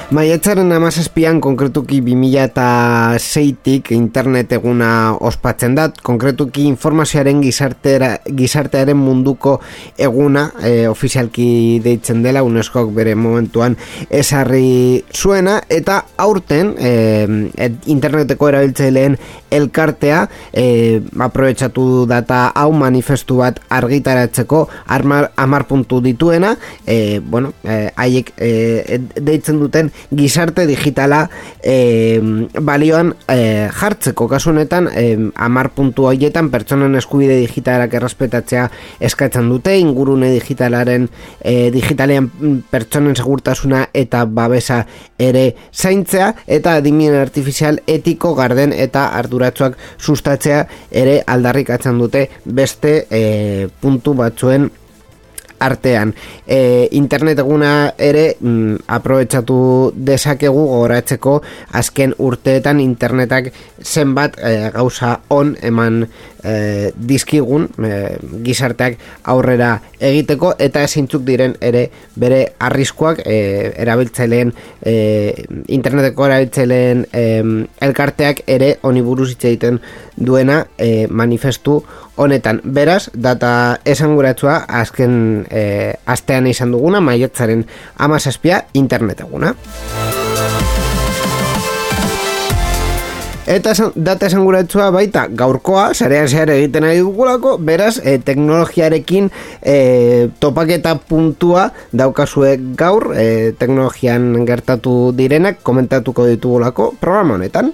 Maiatzaren 17an konkretuki 2006tik internet eguna ospatzen da, konkretuki informazioaren gizartearen munduko eguna ofizialki deitzen dela, UNESCOk bere momentuan ezarri zuena, eta aurten interneteko erabiltzaileen elkartea aprobetxatu data hau manifestu bat argitaratzeko 10 puntu dituena, haiek deitzen duten gizarte digitala balioan jartzeko. Kasu honetan 10 puntu horietan pertsonen eskubide digitalak errespetatzea eskatzen dute, ingurune digitalean pertsonen segurtasuna eta babesa ere zaintzea, eta adimen artifizial etiko, garden eta arduratsuak sustatzea ere aldarrikatzen dute beste puntu batzuen artean. Internet eguna ere aprobetxatu dezakegu gogoratzeko azken urteetan internetak zenbat gauza on eman dizkigun gizarteak aurrera egiteko, eta zeintzuk diren ere bere arriskuak erabiltzaileen interneteko erabiltzaileen elkarteak ere honi buruz hitz egiten duena manifestu honetan. Beraz, data esanguratsua azken astean izan duguna, maiatzaren 17 internet eguna. Eta data esanguratsua baita gaurkoa, sarean zehar egiten ari dugulako, beraz, teknologiarekin topaketa puntua daukazue gaur, teknologian gertatu direnak komentatuko ditugulako programa honetan.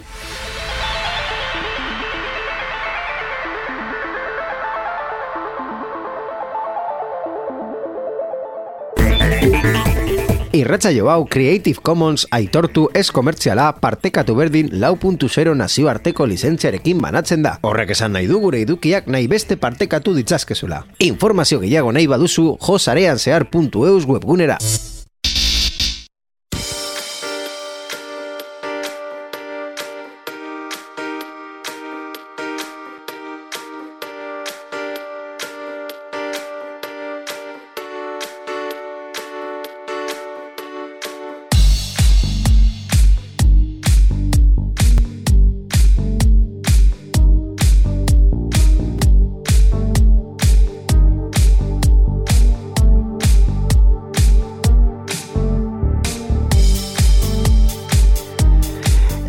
Irratsaio hau Creative Commons aitortu ez komertziala partekatu berdin 4.0 nazioarteko lizentziarekin banatzen da. Horrek esan nahi du gure edukiak nahi beste partekatu ditzazkezula. Informazio gehiago nahi baduzu josareanzehar.eus webgunera.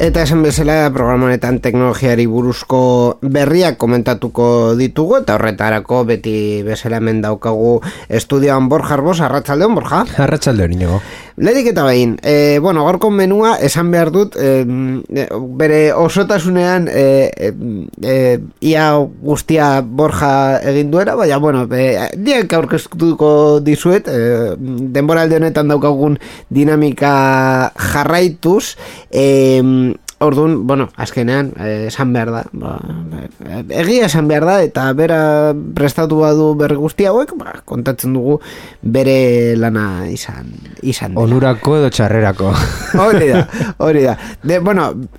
Eta esan bezala programa honetan teknologiari buruzko berriak komentatuko ditugu, eta horretarako beti bezala hemen daukagu estudioan Borja Arbos. Arratsaldeon, Borja. Arratsaldeon, Inigo. Lehenik eta behin, gaurko menua esan behar dut, bere osotasunean ia guztia Borja egin duera, baina, diak aurkeztuko dizuet, denboralde honetan daukagun dinamika jarraituz, orduan, azkenean, esan behar da, egia esan behar da, eta bera prestatu badu berri guzti hauek, kontatzen dugu bere lana izan dela. Onurako edo txarrerako. Hori da.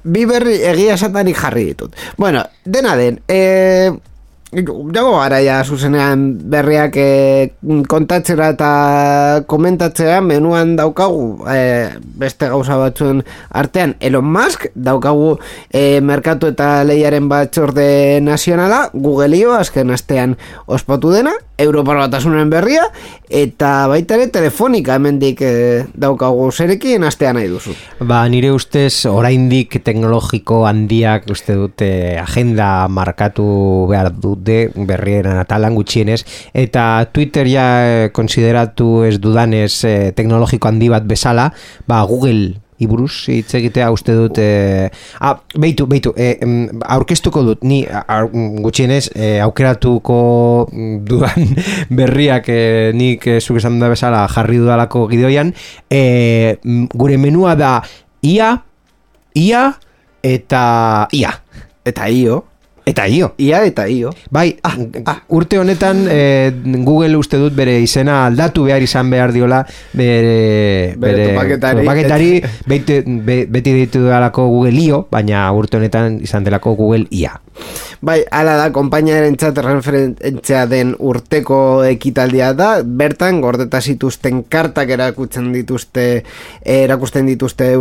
Bi berri egia esatanik jarri ditut. Dena den, dago gara ja zuzenean berriak kontatzera eta komentatzera. Menuan daukagu beste gauza batzuen artean Elon Musk, daukagu merkatu eta lehiaren batzorde nazionala, Google-io azken astean ospatu dena, Europar Batasunen berria, eta baita ere Telefonika hemendik daukagu. Zerekin astean nahi duzu? Nire ustez oraindik teknologiko handiak uste dute agenda markatu behar dute berrieran atalan gutxienez, eta Twitter ja konsideratu ez dudanez teknologiko handi bat bezala, Google iburuz hitz egitea uste dut beitu, aurkeztuko dut ni gutxienez aukeratuko dudan berriak nik zuk esan da bezala jarri dudalako gidoian. Gure menua da IA, IA eta IA. Eta io. Eta io. Ia eta io. Bai, urte honetan Google uste dut bere izena aldatu behar izan behar diola bere topaketari beti ditu dalako Google io, baina urte honetan izan delako Google IA. Bai, ala da, konpainiaren txat referentzia den urteko ekitaldia da, bertan gordeta zituzten kartak erakusten dituzte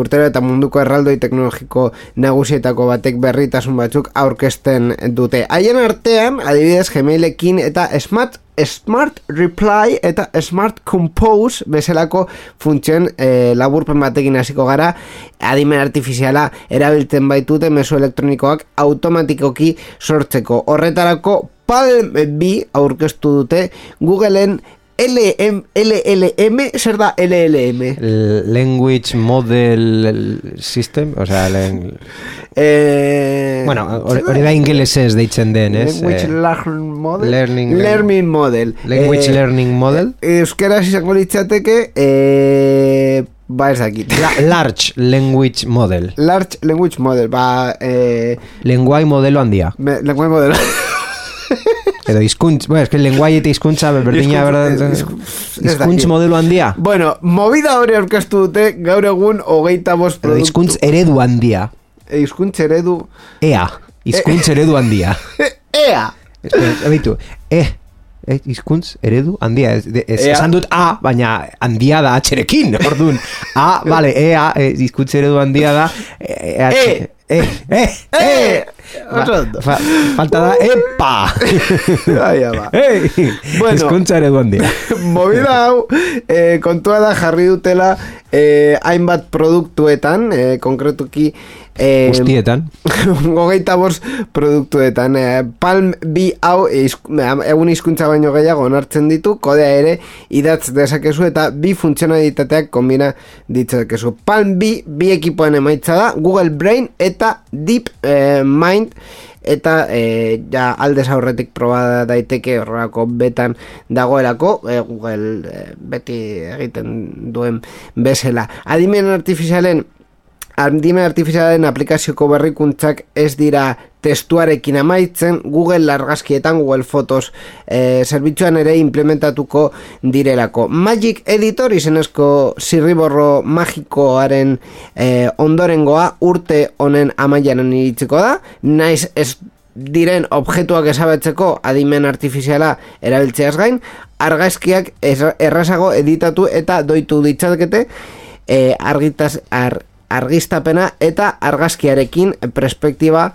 urtero eta munduko erraldoi teknologiko nagusietako batek berritasun batzuk aurkezten dute. Haien artean, adibidez, Gmailekin eta Smart Reply eta Smart Compose bezalako funtzioen laburpen batekin hasiko gara, adimen artifiziala erabiltzen baitute mezu elektronikoak automatikoki sortzeko. Horretarako Palm B aurkeztu dute Googleen LLM, zer da LLM? Language Model System, o sea, bueno, hori da ingelesez deitzen den, ez? Language Learning Model? Learning Model. Language Learning Model? Euskaraz izango litzateke, ba ez dakit. Large Language Model. Large Language Model, ba... Lenguai modelo handia. Lenguai modelo edo hizkuntz, bueno, es que lenguaia eta hizkuntza berdina, verdad? Hizkuntz modelo handia. Bueno, movida hori aurkeztu dute gaur egun 25 produktu. Hizkuntz eredu handia. Hizkuntz eredu... Ea, hizkuntz eredu handia. Ea! Ebitu, hizkuntz eredu handia. Esan dut A, baina handia da atxerekin, orduan. A, vale, ea, hizkuntz eredu handia da. Falta da epa. Bueno, hizkuntza eredu handia. Movida hau kontua da jarri dutela hainbat produktuetan, konkretuki guztietan 25 produktuetan. Palm B hau egun hizkuntza baino gehiago onartzen ditu, kodea ere idatz dezakezu eta bi funtzionalitateak kombina ditzakezu. Palm B bi ekipoen emaitza da, Google Brain eta Deep Mind, eta ja aldez aurretik proba daiteke horrelako betan dagoelako, Google beti egiten duen bezala. Adimen artifizialen aplikazioko berrikuntzak ez dira testuarekin amaitzen, Google argazkietan, Google Fotos zerbitzuan ere implementatuko direlako. Magic Editor izenezko zirriborro magikoaren ondorengoa urte honen amaieran iritsiko da, naiz ez diren objektuak ezabatzeko adimen artifiziala erabiltzeaz gain, argazkiak errazago editatu eta doitu ditzakete argiztapena eta argazkiarekin perspektiba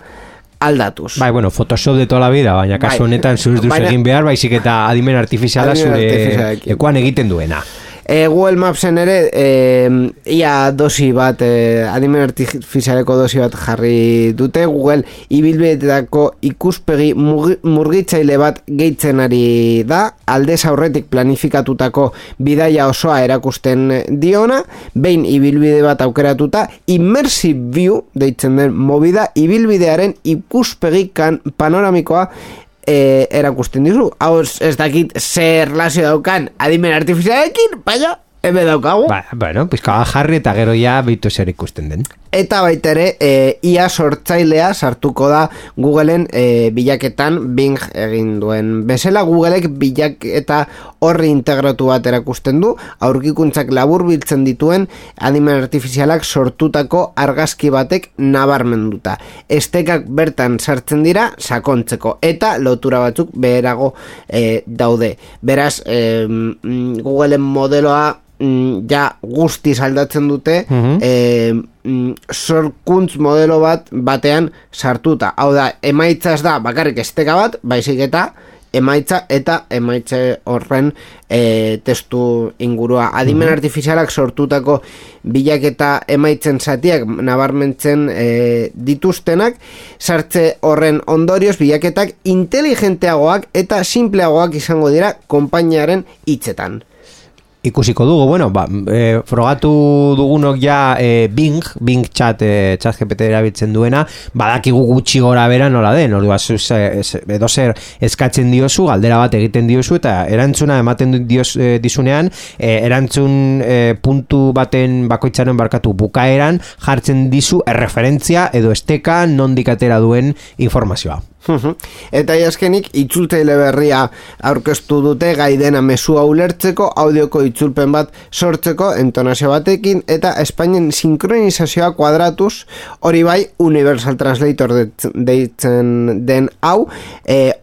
aldatuz. Bai, bueno, Photoshop de toda la vida, baina kasu honetan zuz duz egin behar, baizik eta adimen artifiziala zure ekuan egiten duena. Google Mapsen ere ia dosi bat, adimen artifizialeko dosi bat jarri dute. Google ibilbideetako ikuspegi murgitzaile bat gehitzen ari da, aldez aurretik planifikatutako bidaia osoa erakusten diona, behin ibilbide bat aukeratuta, immersive view deitzen den movida, ibilbidearen ikuspegi panoramikoa erakusten dizu. Hau ez dakit zer relazio daukan adimen artifizialekin, baina hemen daukagu. Bueno, pizka jarri eta gero ja beitu zer ikusten den. Eta baita ere, IA sortzailea sartuko da Googleen bilaketan Bing egin duen bezala. Googleek bilaketa horri integratu bat erakusten du, aurkikuntzak labur biltzen dituen adimen artifizialak sortutako argazki batek nabarmenduta. Estekak bertan sartzen dira sakontzeko eta lotura batzuk beherago daude. Beraz, Googleen modeloa ja guztiz aldatzen dute, sorkuntz modelo batean sartuta. Hau da, emaitza ez da bakarrik esteka bat, baizik eta emaitza eta emaitza horren testu ingurua. Adimen artifizialak sortutako bilaketa emaitzen zatiak nabarmentzen dituztenak, sartze horren ondorioz bilaketak inteligenteagoak eta simpleagoak izango dira konpainiaren hitzetan. Ikusiko dugu, bueno, frogatu dugunok ja Bing chat GPT erabiltzen duena, badakigu gutxi gora bera nola den, ordua edo zer eskatzen diozu, galdera bat egiten diozu, eta erantzuna ematen dizunean, erantzun puntu baten bakoitzaren barkatu bukaeran, jartzen dizu erreferentzia edo esteka nondik atera duen informazioa. Eta azkenik itzultzaile berria aurkeztu dute gai dena mezua ulertzeko, audioko itzulpen bat sortzeko entonazio batekin, eta Espainian sinkronizazioa kuadratuz, hori bai Universal Translator deitzen den hau,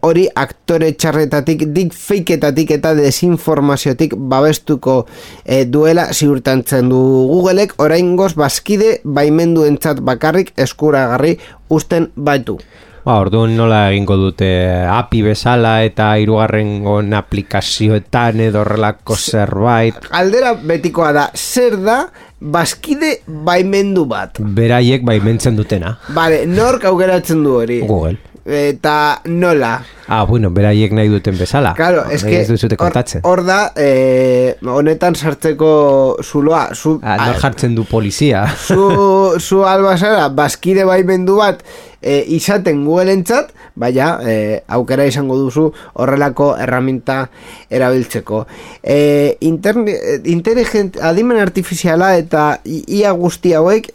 hori aktore txarretatik, deepfakeetatik eta desinformaziotik babestuko duela ziurtantzen du Googleek, oraingoz bazkide baimenduentzat bakarrik eskuragarri uzten baitu. Orduan nola egingo dute API bezala eta hirugarrengon aplikazioetan edo horrelako zerbait. Aldera betikoa da, zer da bazkide baimendu bat? Beraiek baimentzen dutena. Vale, nork aukeratzen du hori? Google. Eta nola? Bueno, beraiek nahi duten bezala. Claro, ez duzute kontatzen. Hor da, honetan sartzeko zuloa. Nor jartzen du polizia. Zu albazara, bazkide baimendu bat izaten Google-entzat, baina aukera izango duzu horrelako erraminta erabiltzeko. Adimen artifiziala eta IA guzti hauek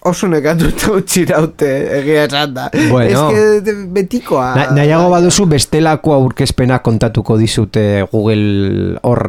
oso nekatuta utzi daute, egia esan da. Bueno, betikoa. Nahiago baduzu bestelako aurkezpena kontatuko dizute Google hor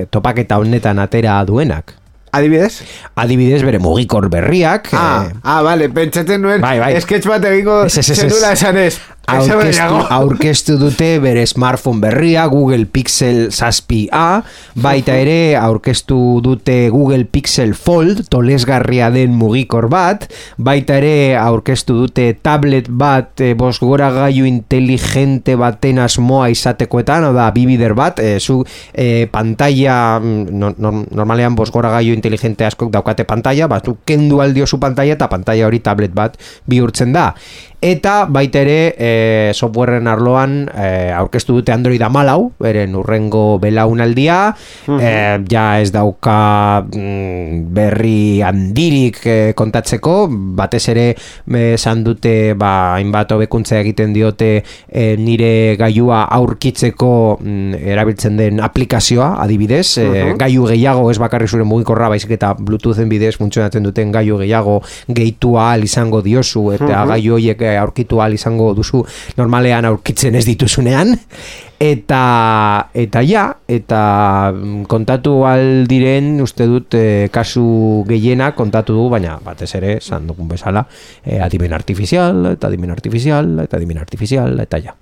topaketa honetan atera duenak. Adibidez? Adibidez bere mugikor berriak. Vale, pentsatzen nuen. Bai. Sketch bat egingo zenula esan ez. Aurkeztu dute bere smartphone berria, Google Pixel 6a, baita ere aurkeztu dute Google Pixel Fold, tolesgarria den mugikor bat, baita ere aurkeztu dute tablet bat, bosgoragailu inteligente baten asmoa izatekoetan, oda bibider bat, pantalla, normalean bosgoragailu inteligente askok daukate pantalla, zu kendu aldiozu pantalla eta pantalla hori tablet bat bihurtzen da. Eta baita ere softwareen arloan aurkeztu dute Android 14, beren urrengo belaunaldia, ja ez dauka berri handirik kontatzeko, batez ere esan dute hainbat hobekuntza egiten diote nire gailua aurkitzeko erabiltzen den aplikazioa, adibidez, gailu gehiago ez bakarri zure mugikorra, baizik eta Bluetoothen bidez funtzionatzen duten gailu gehiago gehitu ahal izango diozu, eta gailu horiek aurkitu ahal izango duzu normalean aurkitzen ez dituzunean, eta kontatu aldiren uste dut kasu gehiena kontatu du, baina batez ere esan dugun bezala adimen artifizial eta ja.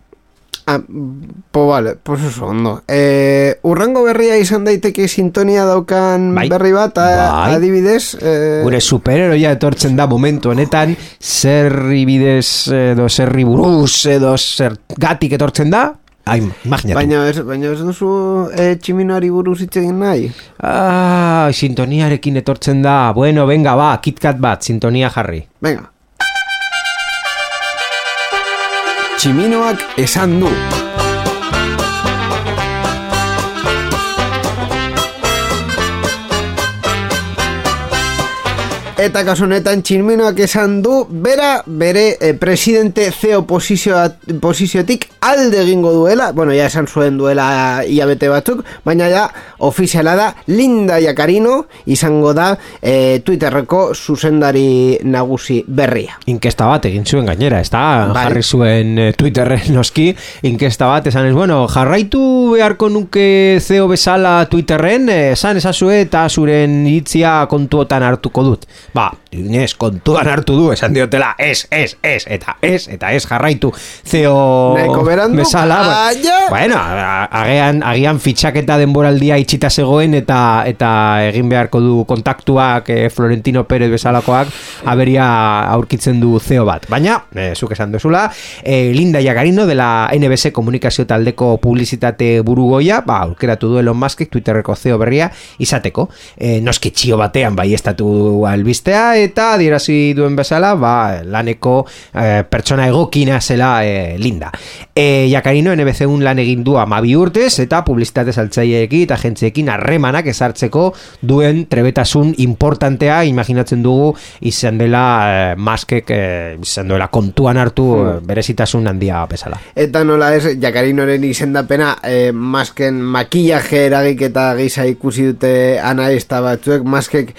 Vale, pues eso, ondo. Urrengo berria izan daiteke sintonia daukan berri bat, adibidez. Gure superheroia etortzen da momentu honetan, zerri bidez edo zerri buruz edo zergatik etortzen da, imaginatu. Baina ez duzu tximinoari buruz hitz egin nahi? Sintoniarekin etortzen da. Bueno, venga, KitKat bat, sintonia jarri. Venga. Tximinoak esan du. Eta kasu honetan Tximinoak esan du bere presidente CEO posiziotik alde egingo duela, bueno, ja esan zuen duela hilabete batzuk, baina ja ofiziala da Linda Yaccarino izango da Twitterreko zuzendari nagusi berria. Inkesta bat egin zuen gainera, ez da? Jarri zuen Twitterren noski, inkesta bat esan ez, bueno, jarraitu beharko nuke CEO bezala Twitterren, esan ezazue eta zuren iritzia kontuotan hartuko dut. Inez, kontuan hartu du, esan diotela, eta ez jarraitu CEO bezala. Bueno, agian fitxaketa denboraldia itxita zegoen eta egin beharko du kontaktuak Florentino Pérez bezalakoak aberia aurkitzen du CEO bat. Baina, zuk esan duzula, Linda Yaccarino de la NBC komunikazio taldeko publizitate burugoia, aukeratu du Elon Muskek Twitterreko CEO berria izateko. Noski txio batean bai estatu albiste piztea eta adierazi duen bezala, laneko pertsona egokina zela Linda. Jakarino NBC-un lan egin du 12 urtez eta publizitate saltzaileekin eta agentziekin harremanak ezartzeko duen trebetasun importantea, imaginatzen dugu izan dela Muskek izan duela kontuan hartu berezitasun handia bezala. Eta nola ez, Jakarinoren izendapena Musken makillaje eragiketa gisa ikusi dute analista batzuek. Muskek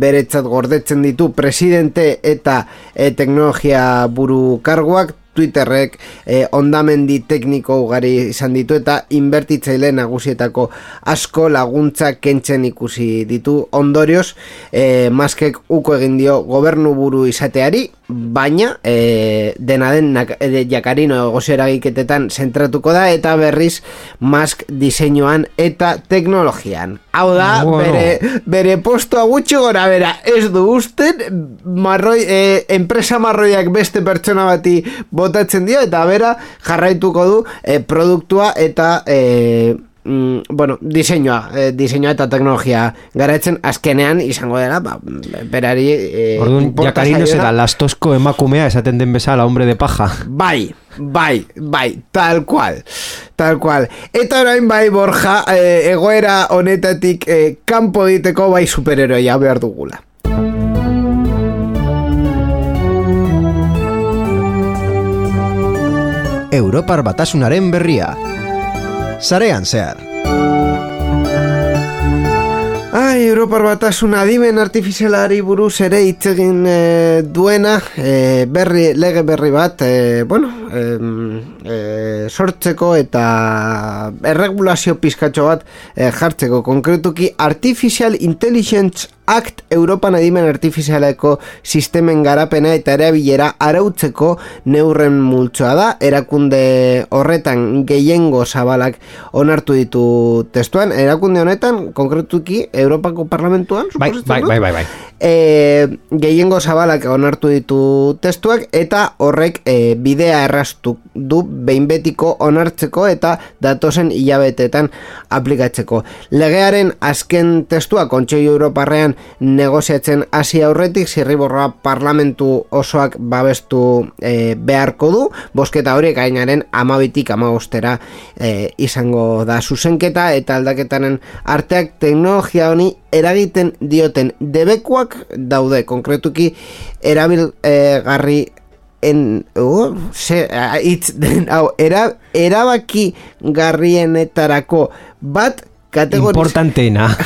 beretzat gordetzen ditu presidente eta teknologia buru karguak. Twitterrek ondamendi tekniko ugari izan ditu eta inbertitzaile nagusietako asko laguntza kentzen ikusi ditu. Ondorioz, Muskek uko egin dio gobernu buru izateari, baina dena den Jakarino egozio eragiketetan zentratuko da eta berriz Musk diseinuan eta teknologian. Hau da, bere postua gutxi gora bera ez du usten, enpresa marroiak beste pertsona bati botatzen dio eta bera jarraituko du produktua eta diseinua eta teknologia garaitzen azkenean izango dela berari orduan Jakarino zera lastozko emakumea esaten den bezala hombre de paja. Bai, tal cual. Eta orain bai, Borja, egoera honetatik kanpo diteko bai superheroia behar dugula. Europar Batasunaren berria. Sarean zehar. Europar Batasuna adimen artifizialari buruz ere hitz egin duena, lege berri bat, sortzeko eta erregulazio pizkatxo bat jartzeko, konkretuki Artificial Intelligence Act Europan adimen artifizialeko sistemen garapena eta erabilera arautzeko neurren multzoa da. Erakunde horretan gehiengo zabalak onartu ditu testuan. Erakunde honetan, konkretuki Europako Parlamentuan, bai. Gehiengo zabalak onartu ditu testuak eta horrek bidea erraztu du behin betiko onartzeko eta datozen hilabetetan aplikatzeko. Legearen azken testua Kontseilu Europarrean negoziatzen hasi aurretik zirriborroa parlamentu osoak babestu beharko du. Bozketa horiek gainaren 12tik 15 izango da zuzenketa eta aldaketaren arteak teknologia honi eragiten dioten debekuak daude, konkretuki erabilgarri erabaki garrienetarako bat importanteena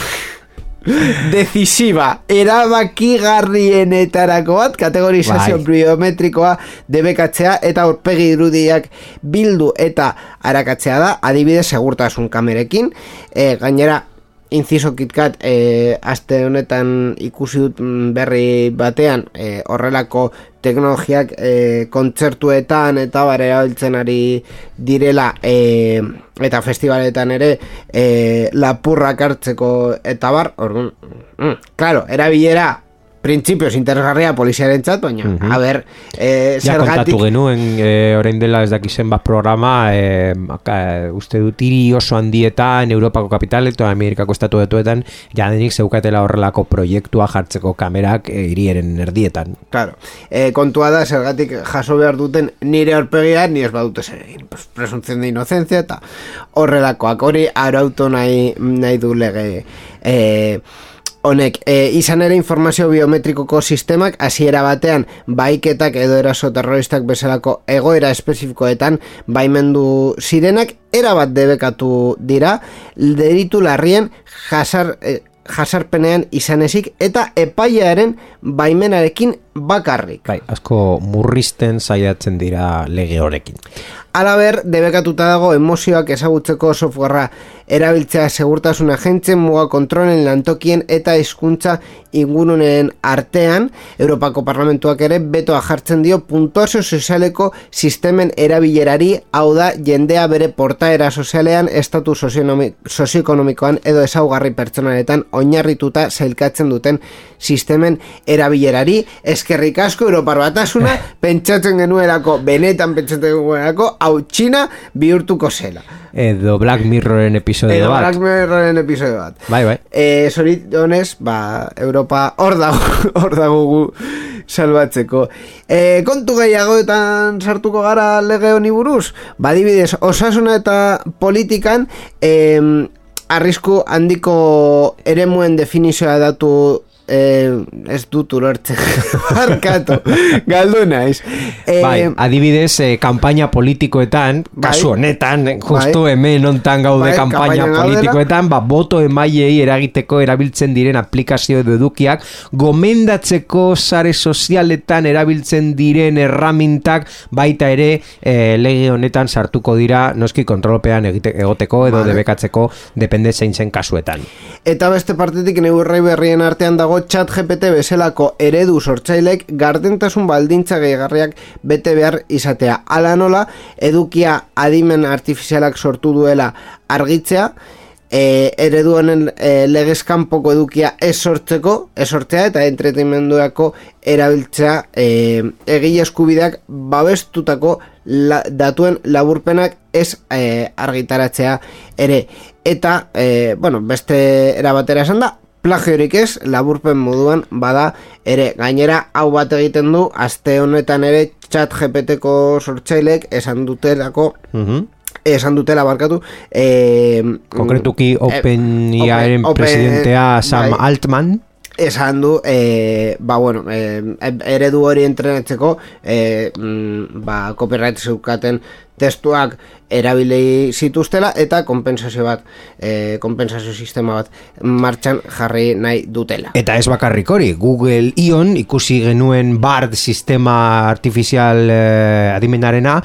decisiva erabakigarrienetarako bat kategorizazio biometrikoa debekatzea eta aurpegi irudiak bildu eta arakatzea da, adibidez segurtasun kamerekin. Gainera inciso KitKat aste honetan ikusi dut berri batean horrelako teknologiak kontzertuetan eta erabiltzen ari direla eta festivaletan ere lapurrak hartzeko eta orduan, claro, erabilera printzipioz interesgarria poliziarentzat, baina, a ber, ja kontatu genuen, orain dela ez dakizen bat programa, uste dut hiri oso handietan, Europako kapitaletan, Amerikako estatuetan, jadenik zeukatela horrelako proiektua jartzeko kamerak hirieren erdietan. Claro, kontua da, zergatik jaso behar duten nire aurpegia, ni ez badute zer egin, presunción de inocencia, eta horrelakoak, hori arautu nahi du lege honek, izan ere informazio biometrikoko sistemak hasiera batean baiketak edo eraso terroristak bezalako egoera espezifikoetan baimendu zirenak erabat debekatu dira delitu larrien jasarpenean izan ezik eta epailearen baimenarekin bakarrik. Bai, asko murrizten saiatzen dira lege horekin. Alaber, debekatuta dago emozioak ezagutzeko softwarea erabiltzea segurtasun agentzen muga kontrolen lantokien eta hizkuntza inguruneen artean. Europako Parlamentuak ere betoa jartzen dio puntuazio sozialeko sistemen erabilerari, hau da jendea bere portaera sozialean, estatu sozioekonomikoan edo ezaugarri pertsonaletan oinarrituta sailkatzen duten sistemen erabilerari. Eskerrik asko Europar Batasuna, benetan pentsatzen genuelako hau Txina bihurtuko zela. Edo Black Mirroren episodio bat. Black Mirroren episodio bat. Bai. Zoritxonez, Europa hor dago gu salbatzeko. Kontu gehiagoetan sartuko gara lege honi buruz? Adibidez, osasuna eta politikan arrisku handiko eremuen definizioa datu ez dut ulertzen barkatu, galdu naiz. Adibidez, kampaina politikoetan, kasu honetan, justo hemen ontan gaude kampaina politikoetan, boto emaiei eragiteko erabiltzen diren aplikazio edo edukiak, gomendatzeko sare sozialetan erabiltzen diren erramintak baita ere lege honetan sartuko dira, noski kontrolpean egoteko edo debekatzeko, depende zein zen kasuetan. Eta beste partetik neurri berrien artean dago ChatGPT bezalako eredu sortzailek gardentasun baldintza gehigarriak bete behar izatea. Hala nola, edukia adimen artifizialak sortu duela argitzea, eredu honen legezkanpoko edukia ez sortzea eta entretenimenduako erabiltzea egile eskubideak babestutako datuen laburpenak ez argitaratzea ere. Eta, beste erabatera esan da, plagiorik ez, laburpen moduan bada ere. Gainera, hau bat egiten du, aste honetan ere ChatGPTko sortzailek esan dutela barkatu. Konkretuki OpenAIren presidentea Sam Altman esan du, eredu hori entrenatzeko copyright zeukaten testuak erabili zituztela eta konpentsazio sistema bat martxan jarri nahi dutela. Eta ez bakarrik hori, Google Ion ikusi genuen BARD sistema artifizial adimenarena,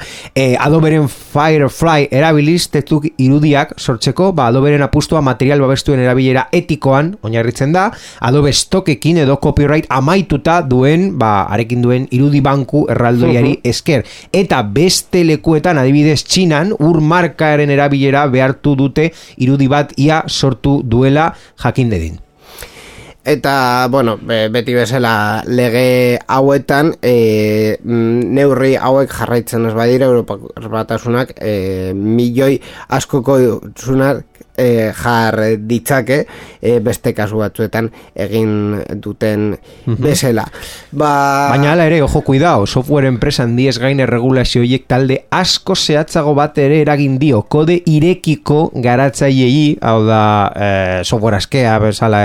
Adoberen Firefly erabiliz testu irudiak sortzeko, Adoberen apustua material babestuen erabilera etikoan oinarritzen da, Adobe Stockekin edo copyright amaituta duen, arekin duen irudi banku erraldoiari esker. Eta beste lekuetan, adibidez Txinan, markaren erabilera behartu dute irudi bat ia sortu duela jakin dedin. Eta, beti bezala lege hauetan neurri hauek jarraitzen ez badira Europar Batasunak milioi askoko zunak jar ditzake beste kasu batzuetan egin duten bezala. Baina hala ere, ojo cuidao, software enpresa handiez gain erregulazio horiek talde asko zehatzago bat ere eragin dio kode irekiko garatzaileei, hau da software askea bezala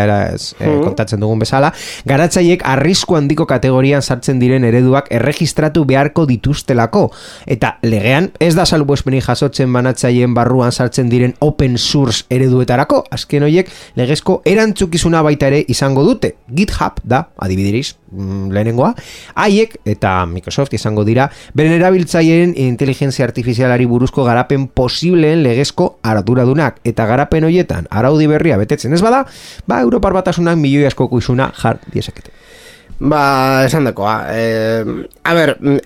kontatzen dugun bezala, garatzaileek arrisku handiko kategorian sartzen diren ereduak erregistratu beharko dituztelako, eta legean ez da salbuespenik jasotzen banatzaileen barruan sartzen diren open source ereduetarako, azken horiek legezko erantzukizuna baita ere izango dute. GitHub da, adibideriz, lehenengoa, haiek eta Microsoft izango dira beren erabiltzaileen inteligentzia artifizialari buruzko garapen posibleen legezko arduradunak, eta garapen horietan araudi berria betetzen ez bada, Europar Batasunak milioi askoko isuna jar diezakete. Esan dakoa.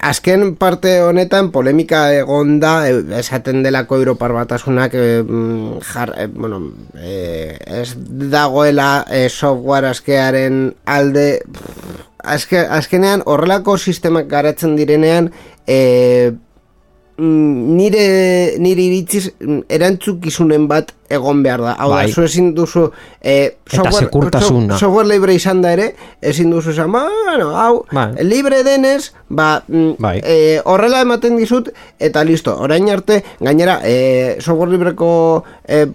Azken parte honetan polemika egon da, esaten delako Europar Batasunak ez dagoela software askearen alde. Azkenean horrelako sistemak garatzen direnean nire iritziz erantzukizunen bat egon behar da. Hau da, zu ezin duzu software libre izan da ere, ezin duzu esan, libre denez, horrela ematen dizut, eta listo, orain arte, gainera, software libreko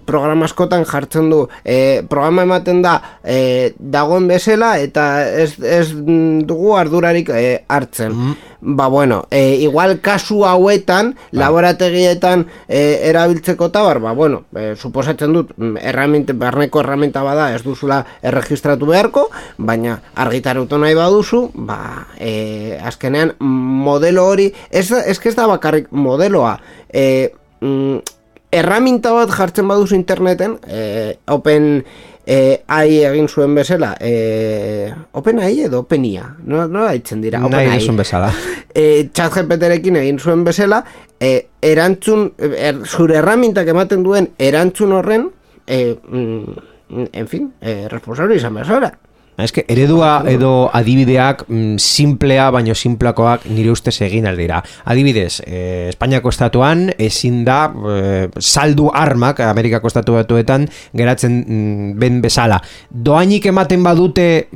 programa askotan jartzen du, programa ematen da dagoen bezala, eta ez dugu ardurarik hartzen. Igual kasu hauetan, laborategietan erabiltzeko tabar, suposatzen dut, barneko erraminta bada ez duzula erregistratu beharko, baina argitaratu nahi baduzu, azkenean modelo hori, ez da bakarrik modeloa, erraminta bat jartzen baduzu interneten, OpenAI egin zuen bezala, OpenAI edo OpenIA, no haitzen dira, OpenAI zuen bezala. ChatGPTrekin egin zuen bezala, erantzun, zure erramintak ematen duen erantzun horren, responsable izan bezala. Eske, eredua edo adibideak simplea, baino simpleakoak nire ustez egin aldira. Adibidez, Espainiako estatuan ezin da saldu armak Amerikako estatu batuetan geratzen ben bezala. Doainik ematen badute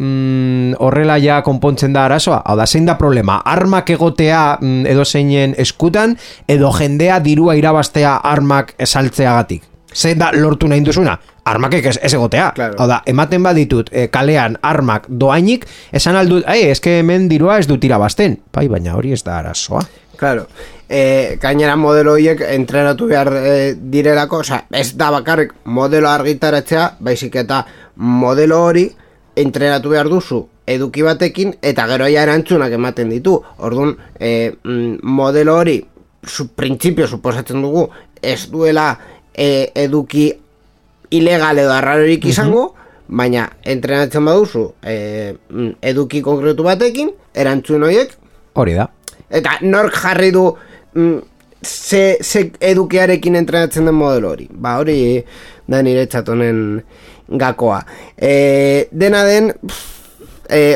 horrela ja konpontzen da arazoa. Hau da, zein da problema? Armak egotea edo zeinen eskutan edo jendea dirua irabaztea armak esaltzeagatik. Zein da lortu nahi duzuna? Armakek ez egotea. Claro. Hau da, ematen baditut kalean armak doainik, esan aldut, eske hemen dirua ez dut irabazten. Bai, baina hori ez da arazoa. Claro. Gainera modelo horiek entrenatu behar direlako, osea, ez da bakarrik modelo argitaratzea, baizik eta modelo hori entrenatu behar duzu eduki batekin, eta gero ja erantzunak ematen ditu. Orduan, modelo hori, printzipio suposatzen dugu, ez duela eduki ilegal edo arrarorik izango, baina entrenatzen baduzu eduki konkretu batekin, erantzun horiek. Hori da. Eta nork jarri du ze edukiarekin entrenatzen den modelo hori. Ba, hori da nire txatonen gakoa. Dena den,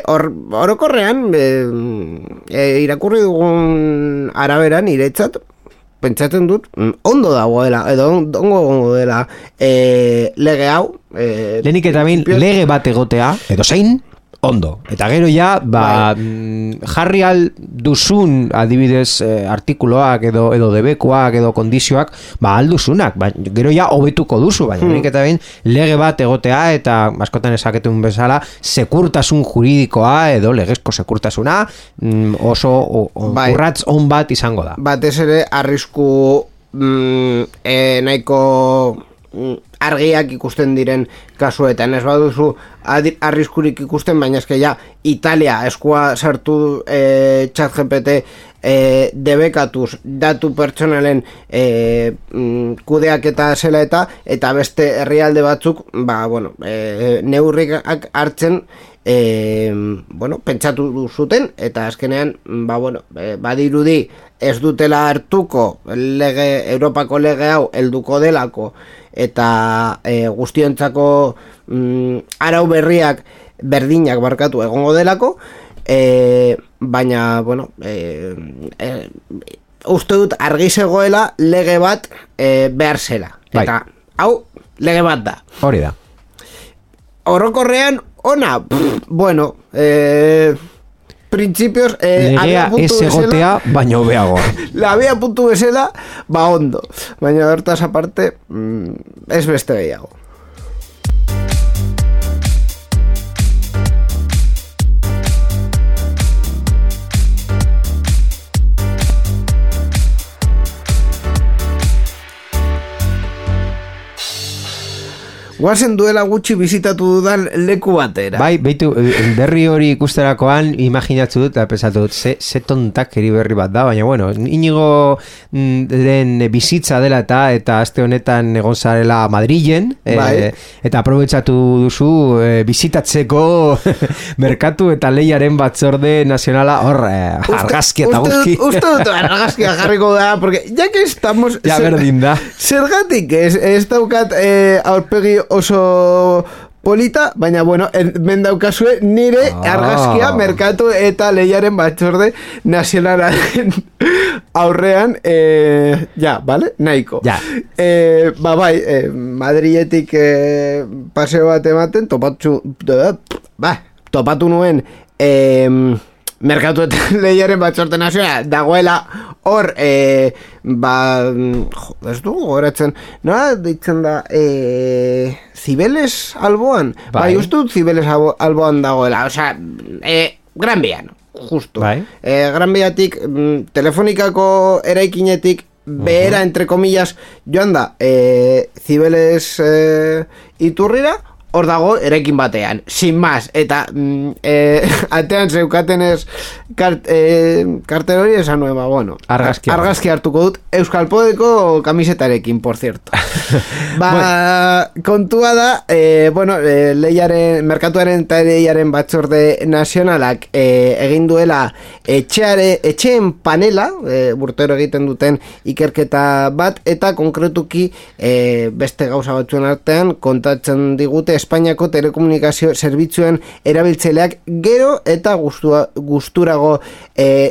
orokorrean, irakurri dugun araberan niretzat, pentsatzen dut, ondo dagoela, edo ondo dela lege hau. Lehenik eta bain, lege bat egotea, edo zein, ondo. Eta gero ja, jarri al duzun, adibidez, artikuloak edo debekoak edo kondizioak, alduzunak, gero ja hobetuko duzu, baina lehenik eta bain, lege bat egotea, eta askotan esaketun bezala, sekurtasun juridikoa edo legezko sekurtasuna, oso urratz on bat izango da. Batez ere, arrisku nahiko argiak ikusten diren kasuetan, ez baduzu arriskurik ikusten, baina eske ja Italia eskua sartu ChatGPT debekatuz datu pertsonalen kudeaketa zela eta beste herrialde batzuk neurrik hartzen pentsatu zuten, eta azkenean badirudi ez dutela hartuko Europako lege hau helduko delako, eta guztiontzako arau berriak berdinak barkatu egongo delako, baina uste dut argi zegoela lege bat behar zela, eta hau lege bat da. Hori da. Orokorrean ona, principios legea ez egotea baina hobeago. Labia puntu bezala, ondo, baina hortaz aparte ez beste gehiago. Guazen duela gutxi bizitatu dudan leku batera. Bai, beitu, berri hori ikusterakoan imaginatzu dut, eta pesatu dut, ze tontakeri berri bat da, baina bueno, Inigo den bizitza dela eta aste honetan egon zarela Madrilen, eta aprobetxatu duzu bizitatzeko merkatu eta lehiaren batzorde nazionala hor, argazki eta guzki. Uste dut argazkia jarriko da, porque ya que estamos... Ja, berdin da. Zergatik ez daukat aurpegi oso polita, baina hemen daukazue nire argazkia merkatu eta lehiaren batzorde nazionalaren aurrean, vale? Nahiko. Ja. Madriletik paseo bat ematen, topatu nuen merkatu eta lehiaren batzorde nazionala dagoela hor, ez dugu goratzen, nola ditzen da, Zibeles alboan? Bai, uste dut Zibeles alboan dagoela, osea, Gran Bian, justu. Gran Biatik, telefonikako eraikinetik, behera, entre comillas, joan da, Zibeles iturrira, hor dago eraikin batean, sin más, eta atean zeukatenez kartel hori esan nuen, argazki hartuko dut, Euskal Podeko kamisetarekin, por cierto. Kontua da, merkatuaren eta lehiaren batzorde nazionalak egin duela etxeen panela, urtero egiten duten ikerketa bat, eta konkretuki beste gauza batzuen artean kontatzen digute Espainiako telekomunikazio zerbitzuen erabiltzaileak gero eta gusturago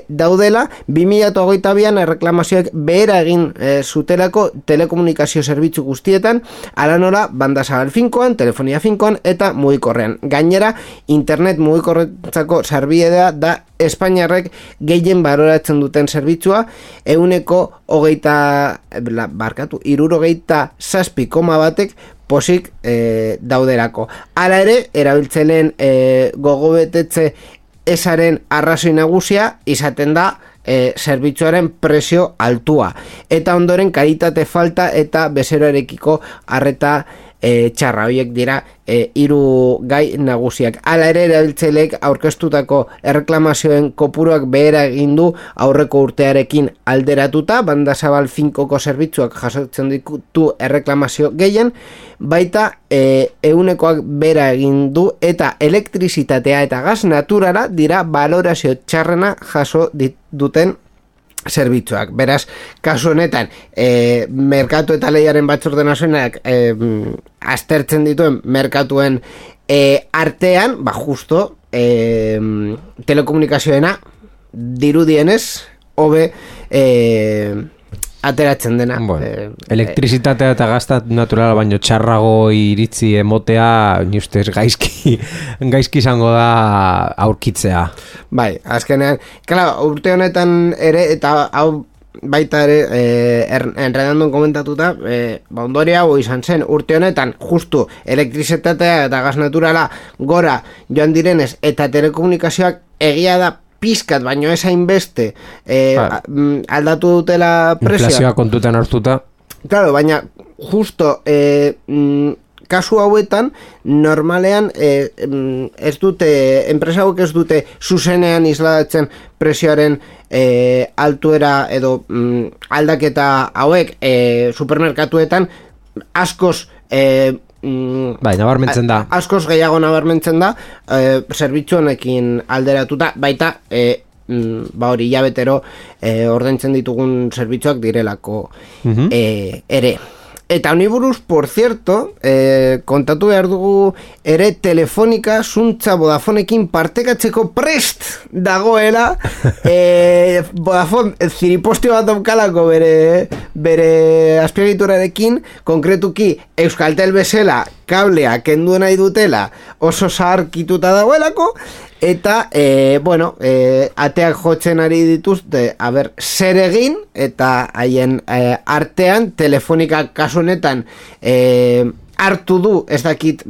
daudela. 2022an erreklamazioek behera egin zutelako telekomunikazio zerbitzu guztietan, ala nola banda zabal finkoan, telefonia finkoan eta mugikorrean. Gainera, internet mugikorrentzako sarbidea da Espainiarrek gehien baloratzen duten zerbitzua, 67,1 posik dauderako. Hala ere, erabiltzaileen gogobetetze ezaren arrazoi nagusia izaten da zerbitzuaren prezio altua. Eta ondoren kalitate falta eta bezeroarekiko arreta txarra. Horiek dira hiru gai nagusiak. Hala ere, erabiltzaileek aurkeztutako erreklamazioen kopuruak behera egin du aurreko urtearekin alderatuta, banda zabal finkoko zerbitzuak jasotzen ditu erreklamazio gehien, baita 100koak behera egin du eta elektrizitatea eta gas naturala dira balorazio txarrena jaso duten zerbitzuak. Beraz, kasu honetan, merkatu eta lehiaren batzorde nazionalak aztertzen dituen merkatuen artean, justo telekomunikazioena dirudienez hobe ateratzen dena. Bueno, elektrizitatea eta gazta naturala baino txarrago iritzi emotea, ni ustez gaizki izango da aurkitzea. Bai, azkenean, claro, urte honetan ere, eta hau baita ere, enredandon komentatuta, ondoria hau izan zen, urte honetan, justu elektrizitatea eta gaz naturala gora joan direnez, eta telekomunikazioak egia da pizkat, baino ez hainbeste aldatu dutela prezioa. Inflazioa kontutan hartuta. Claro, baina justo kasu hauetan normalean ez dute, enpresa hauek ez dute zuzenean islatzen prezioaren altuera edo aldaketa hauek supermerkatuetan askoz bai, nabarmentzen da. Askoz gehiago nabarmentzen da zerbitzu honekin alderatuta, baita hori hilabetero ordaintzen ditugun zerbitzuak direlako ere. Eta honi buruz, por cierto, kontatu behar dugu ere Telefonika zuntza Vodafonekin partekatzeko prest dagoela. Vodafone ziripostio bat daukalako bere azpiegiturarekin, konkretuki Euskaltel bezala kablea kendu nahi dutela oso zaharkituta dagoelako, eta, ateak jotzen ari dituzte, zer egin, eta haien artean, Telefonika kasu honetan, hartu du, ez dakit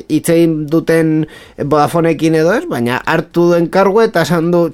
hitzein duten Vodafonekin edo ez, baina hartu duen kargu eta esan du,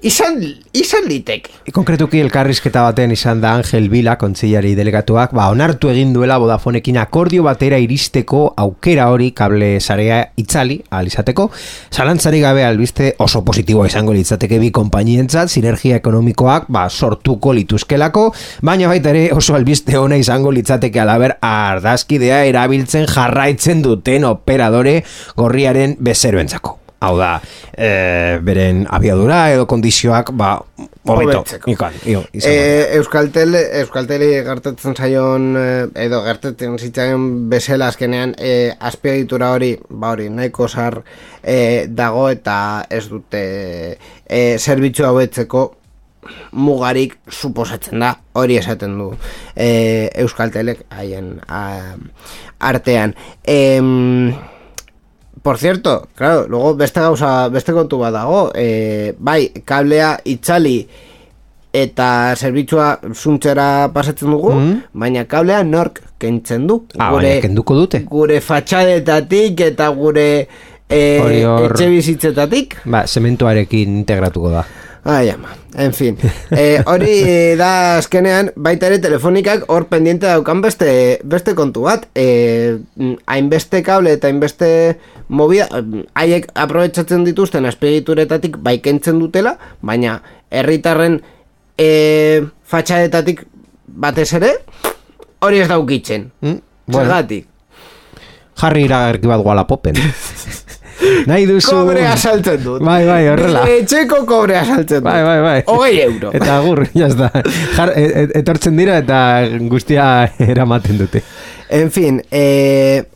izan liteke. Konkretuki elkarrizketa baten izan da Angel Vila, kontsillari delegatuak, onartu egin duela Vodafonekin akordio batera iristeko aukera hori kable sarea itzali ahal izateko. Zalantzari gabe albiste oso positiboa izango litzateke bi konpainientzat, sinergia ekonomikoak sortuko lituzkelako, baina baita ere oso albiste ona izango litzateke alaber ardazkidea erabiltzen jarraitzen duten operadore gorriaren bezeroentzako. Hau da, beren abiadura edo kondizioak hobeto. Euskalteli gertatzen zaion edo gertatzen zitzaion bezala azkenean azpiegitura hori nahiko zar dago eta ez dute zerbitzu hauetzeko mugarik suposatzen da, hori esaten du Euskaltelek haien artean. Por cierto, claro, luego beste kontu bat dago, bai, kablea itzali eta zerbitzua zuntzera pasatzen dugu, baina kablea nork kentzen du. Baina kenduko dute. Gure fatxadetatik eta gure etxe bizitzetatik. Zementuarekin integratuko da. En fin, hori da azkenean baita ere Telefonikak hor pendiente daukan beste kontu bat, hainbeste kable eta hainbeste movida, haiek aprobetxatzen dituzten azpiegituretatik kentzen dutela, baina herritarren fatxadetatik batez ere hori ez daukitzen. Zergatik? Jarri iragarki bat Walapopen. Nahi duzu... Kobrea saltzen dut. Bai, horrela. Etxeko kobrea saltzen dut. Bai. 20 euro. Eta agur, jazta. Etortzen dira eta guztia eramaten dute. En fin,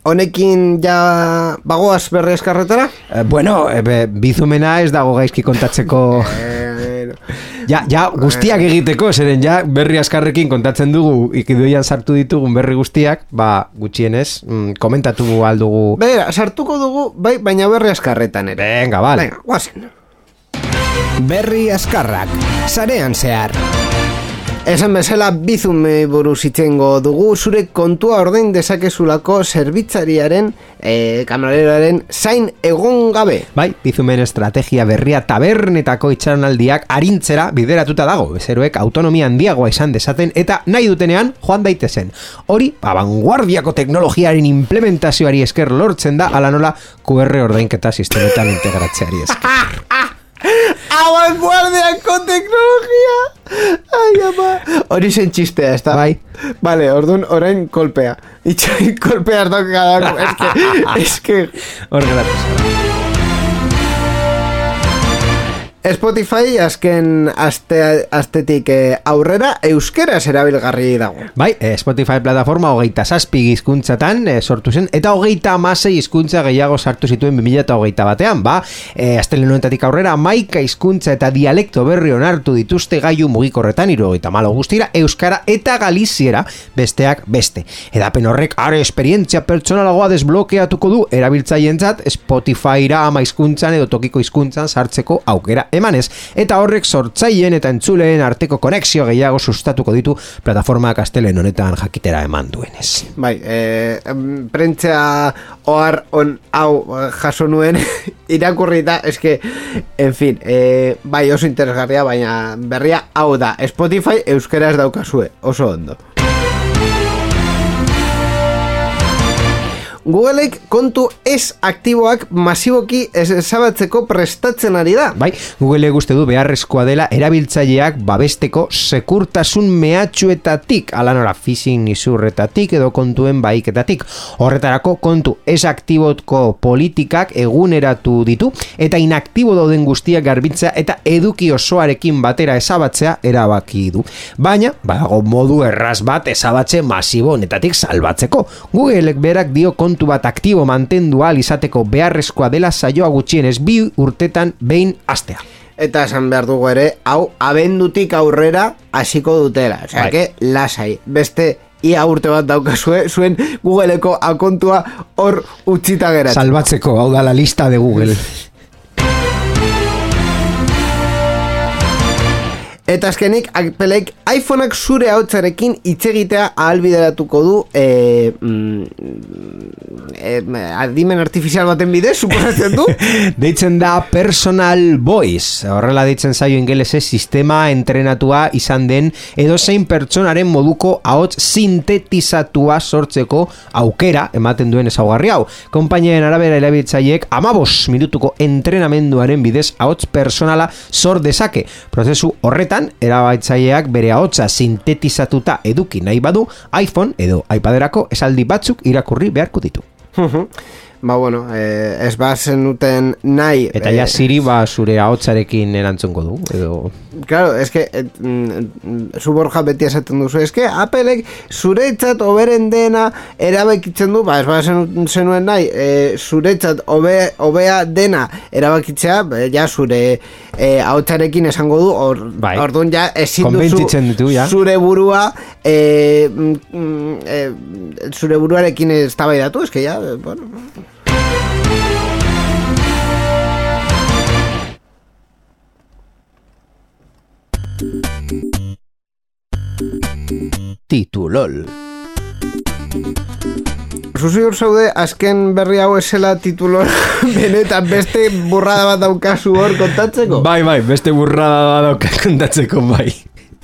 honekin ja bagoaz berri eskarretara? Bueno, bizumena ez dago gaizki kontatzeko... Ja, guztiak egiteko, zeren ja berri askarrekin kontatzen dugu, ikidoian sartu ditugun berri guztiak, gutxienez, komentatu aldugu... Bera, sartuko dugu, bai, baina berri askarretan ere. Venga, vale. Venga, guazen. Berri askarrak, sarean zehar. Esan bezala bizume buruz itzengo dugu, zure kontua ordain dezakezulako zerbitzariaren, kamareroaren zain egon gabe. Bai, bizumen estrategia berria tabernetako itxaronaldiak arintzera bideratuta dago, bezeroek autonomia handiagoa izan dezaten eta nahi dutenean joan daitezen. Hori, vanguardiako teknologiaren implementazioari esker lortzen da, ala nola QR ordainketa sistemetan integratzeari esker. Vanguardiako teknologia. Ai, ama. Hori zen txistea, ez da? Bai. Vale, orduan, orain kolpea. Itxoin kolpea ez daukadako. Ez que... Hor geratu. Spotify azken astetik aurrera euskeraz erabilgarri dago. Bai, Spotify plataforma 27 hizkuntzatan sortu zen eta 36 hizkuntza gehiago sartu zituen 2021 astelehen honetatik aurrera 11 hizkuntza eta dialekto berri onartu dituzte gailu mugikorretan 74 guztira euskara eta galiziera besteak beste. Edapen horrek are esperientzia pertsonalagoa desblokeatuko du erabiltzaileentzat Spotifyra 10 hizkuntzan edo tokiko hizkuntzan sartzeko aukera emanez, eta horrek sortzaileen eta entzuleen arteko konexio gehiago sustatuko ditu plataformak astelen honetan jakitera eman duenez. Bai, prentzea ohar on hau jaso nuen irakurrita, eske, en fin, bai oso interesgarria, baina berria hau da, Spotify euskaraz daukazue, oso ondo. Googleek kontu ez aktiboak masiboki ezabatzeko prestatzen ari da. Bai, Google uste du beharrezkoa dela erabiltzaileak babesteko sekurtasun mehatxuetatik, ala nora phishing izurretatik edo kontuen baiketatik. Horretarako kontu ez aktibotko politikak eguneratu ditu eta inaktibo dauden guztiak garbitzea eta eduki osoarekin batera ezabatzea erabaki du. Baina, badago modu erraz bat ezabatze masibo honetatik salbatzeko. Googleek berak dio kontu bat aktibo mantendu ahal izateko beharrezkoa dela saioa gutxienez 2 urtetan behin hastea. Eta esan behar dugu ere, hau abendutik aurrera hasiko dutela. Osea, que lasai, beste ia urte bat daukazue, zuen Googleeko akontua hor utzita geratzen. Salbatzeko, hau da la lista de Google. Eta azkenik, Appleek iPhoneak zure ahotsarekin hitz egitea ahalbideratuko du adimen artifizial baten bidez, suposatzen du? Deitzen da Personal Voice. Horrela deitzen zaio ingelesez sistema entrenatua izan den edozein pertsonaren moduko ahots sintetizatua sortzeko aukera ematen duen ezaugarri hau. Konpainien arabera erabiltzaileek 15 minutuko entrenamenduaren bidez ahots personala sor dezake. Prozesu horretan erabiltzaileak bere ahotsa sintetizatuta eduki nahi badu, iPhone edo iPaderako esaldi batzuk irakurri beharko ditu. Ba bueno, ez bazen uten nahi... Eta ja Siri zure ahotsarekin erantzungo du, edo... Claro, es que zu Borja beti esaten duzu, es que Appleek zuretzat oberen dena erabakitzen du, ez bazen zenuen nahi, zuretzat obea dena erabakitzea, ja zure ahotsarekin esango du, orduan ja ezin duzu zure burua zure buruarekin eztabaidatu, es que ja, bueno... Titulol. Zuziur zaude, azken berri hau esela titulol benetan beste burrada bat daukazu hor kontatzeko? Bai, beste burrada bat daukazu kontatzeko, bai.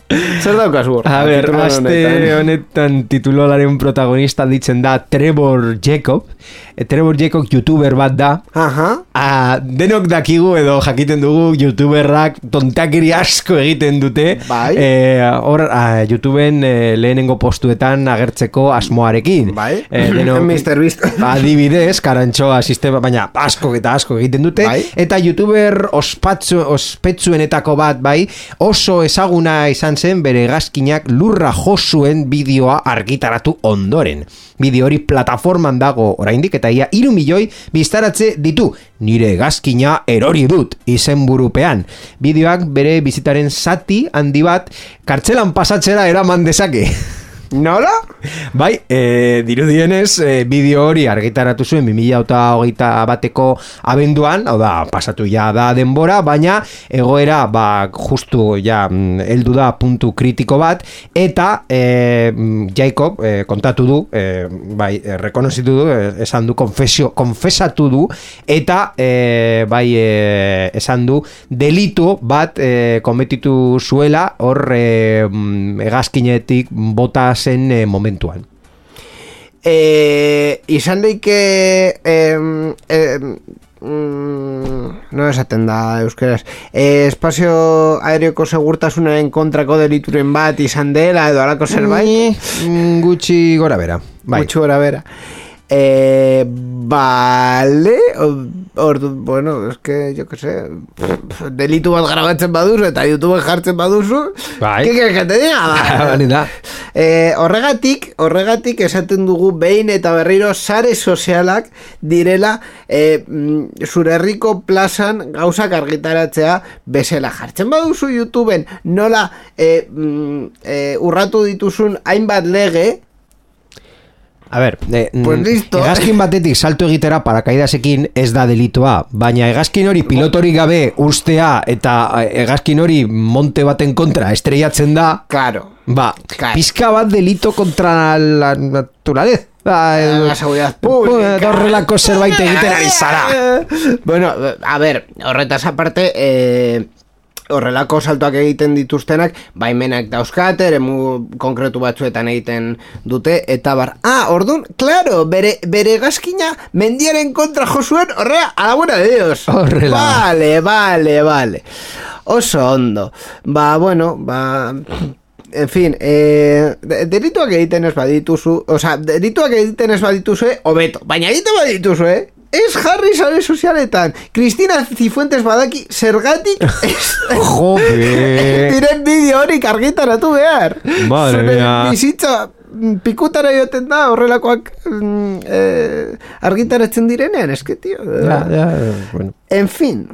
Zer daukazu hor? A ber, aste honetan titulolaren protagonista ditzen da Trevor Jacob. Trevor Jacob youtuber bat da. Denok dakigu edo jakiten dugu youtuberrak tontakiri asko egiten dute. Bai. Hor, YouTubeen lehenengo postuetan agertzeko asmoarekin. Bai. Mr. Beast. Adibidez, karantxoa sistema, baina asko eta asko egiten dute. Bai. Eta youtuber ospetsuenetako bat, bai, oso ezaguna izan izan zen bere hegazkinak lurra josuen bideoa argitaratu ondoren. Bideo hori plataforman dago oraindik eta ia 3 milioi biztaratze ditu. Nire hegazkina erori dut izenburupean. Bideoak bere bizitaren zati handi bat kartzelan pasatzera eraman dezake. Nola? Bai, dirudienez, bideo hori argitaratu zuen 2021ko abenduan, hau da, pasatu ja da denbora, baina egoera, justu ja, heldu da puntu kritiko bat, eta Jacob kontatu du, rekonozitu du, esan du, konfesatu du, eta esan du, delitu bat kometitu zuela, hor hegazkinetik bota zen momentuan. Izan daike no esaten da euskeraz, espazio aerioko segurtasunaren kontrako delituren bat izan dela edo alako zerbait? Gutxi gora bera. Gutxi gora bera. Vale, bueno, es que yo que sé, delitu bat grabatzen baduzu eta YouTube jartzen baduzu, ¿qué quieres que te diga? Horregatik esaten dugu behin eta berriro sare sozialak direla zure herriko plazan gauzak argitaratzea bezala. Jartzen baduzu YouTubeen nola urratu dituzun hainbat lege. A ver, pues listo. Hegazkin batetik salto egitera parakaidasekin ez da delitua, baina hegazkin hori pilotorik gabe ustea eta hegazkin hori monte baten kontra estrellatzen da, claro. Pizka bat delito contra la naturaleza. La seguridad pública. Horrelako zerbait egiten ari zara. Bueno, a ver, horretaz aparte, horrelako saltoak egiten dituztenak baimenak dauzkate, eremu konkretu batzuetan egiten dute, eta bar. Ordun, claro, bere hegazkina mendiaren kontra josuen, horrea, a la buena de Dios. Horrela. Vale. Oso ondo. Bueno, en fin, delituak egiten ez badituzu, delituak egiten ez badituzu, hobeto, baina egiten badituzu, ez jarri sare sozialetan. Cristina Cifuentes badaki zergatik diren bideo horik argitaratu behar. Madre mía. Bizitza pikutara joten da horrelakoak argitaratzen direnean, eske, tío. Bueno. En fin.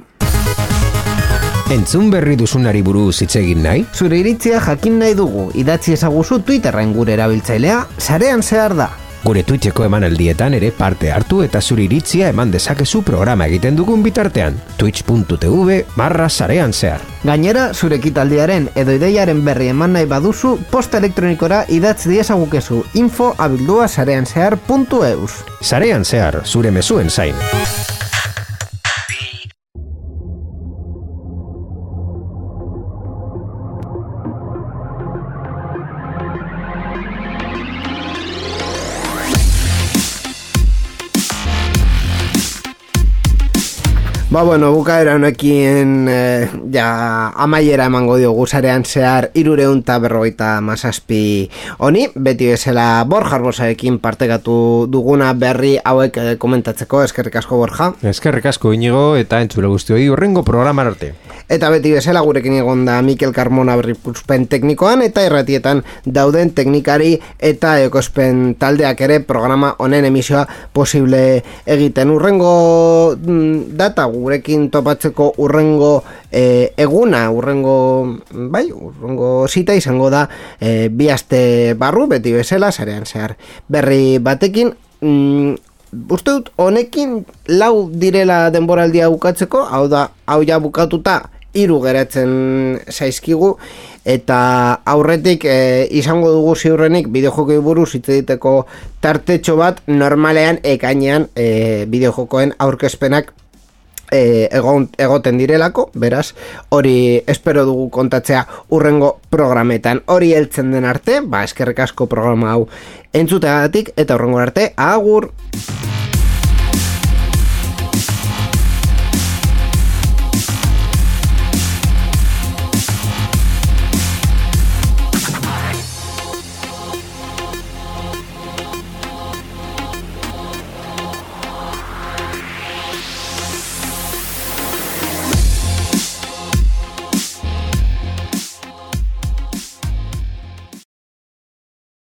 Entzun berri duzunari buruz hitz egin nahi? Zure iritzia jakin nahi dugu. Idatzi ezaguzu Twitterren gure erabiltzailea, sarean zehar da. Gure Twitcheko emanaldietan ere parte hartu eta zure iritzia eman dezakezu programa egiten dugun bitartean. twitch.tv/sarean zehar. Gainera, zure ekitaldiaren edo ideiaren berri eman nahi baduzu, posta elektronikora idatz diezagukezu info@sareanzehar.eus. Sarean zehar, zure mezuen zain. Bueno, bukaera honekin amaiera emango diogu sarean zehar 357 honi, beti bezala Borja Arbosarekin partekatu duguna berri hauek komentatzeko. Eskerrik asko, Borja. Eskerrik asko, Inigo, eta entzule guztioi hurrengo programan arte. Eta beti bezala gurekin egon da Mikel Carmona berripuspen teknikoan eta irratietan dauden teknikari eta ekospen taldeak ere programa honen emisioa posible egiten. Urrengo data gurekin topatzeko urrengo eguna, urrengo zita izango da 2 aste barru, beti bezala, sarean zehar berri batekin. Uste dut, honekin 4 direla denboraldia bukatzeko, hau ja bukatuta 3 geratzen zaizkigu, eta aurretik izango dugu ziurrenik bideojokoi buruz hitz egiteko tartetxo bat, normalean ekainean bideojokoen aurkezpenak egoten direlako, beraz, hori espero dugu kontatzea urrengo programetan. Hori heltzen den arte, eskerrik asko programa hau entzuteagatik, eta urrengo arte, agur!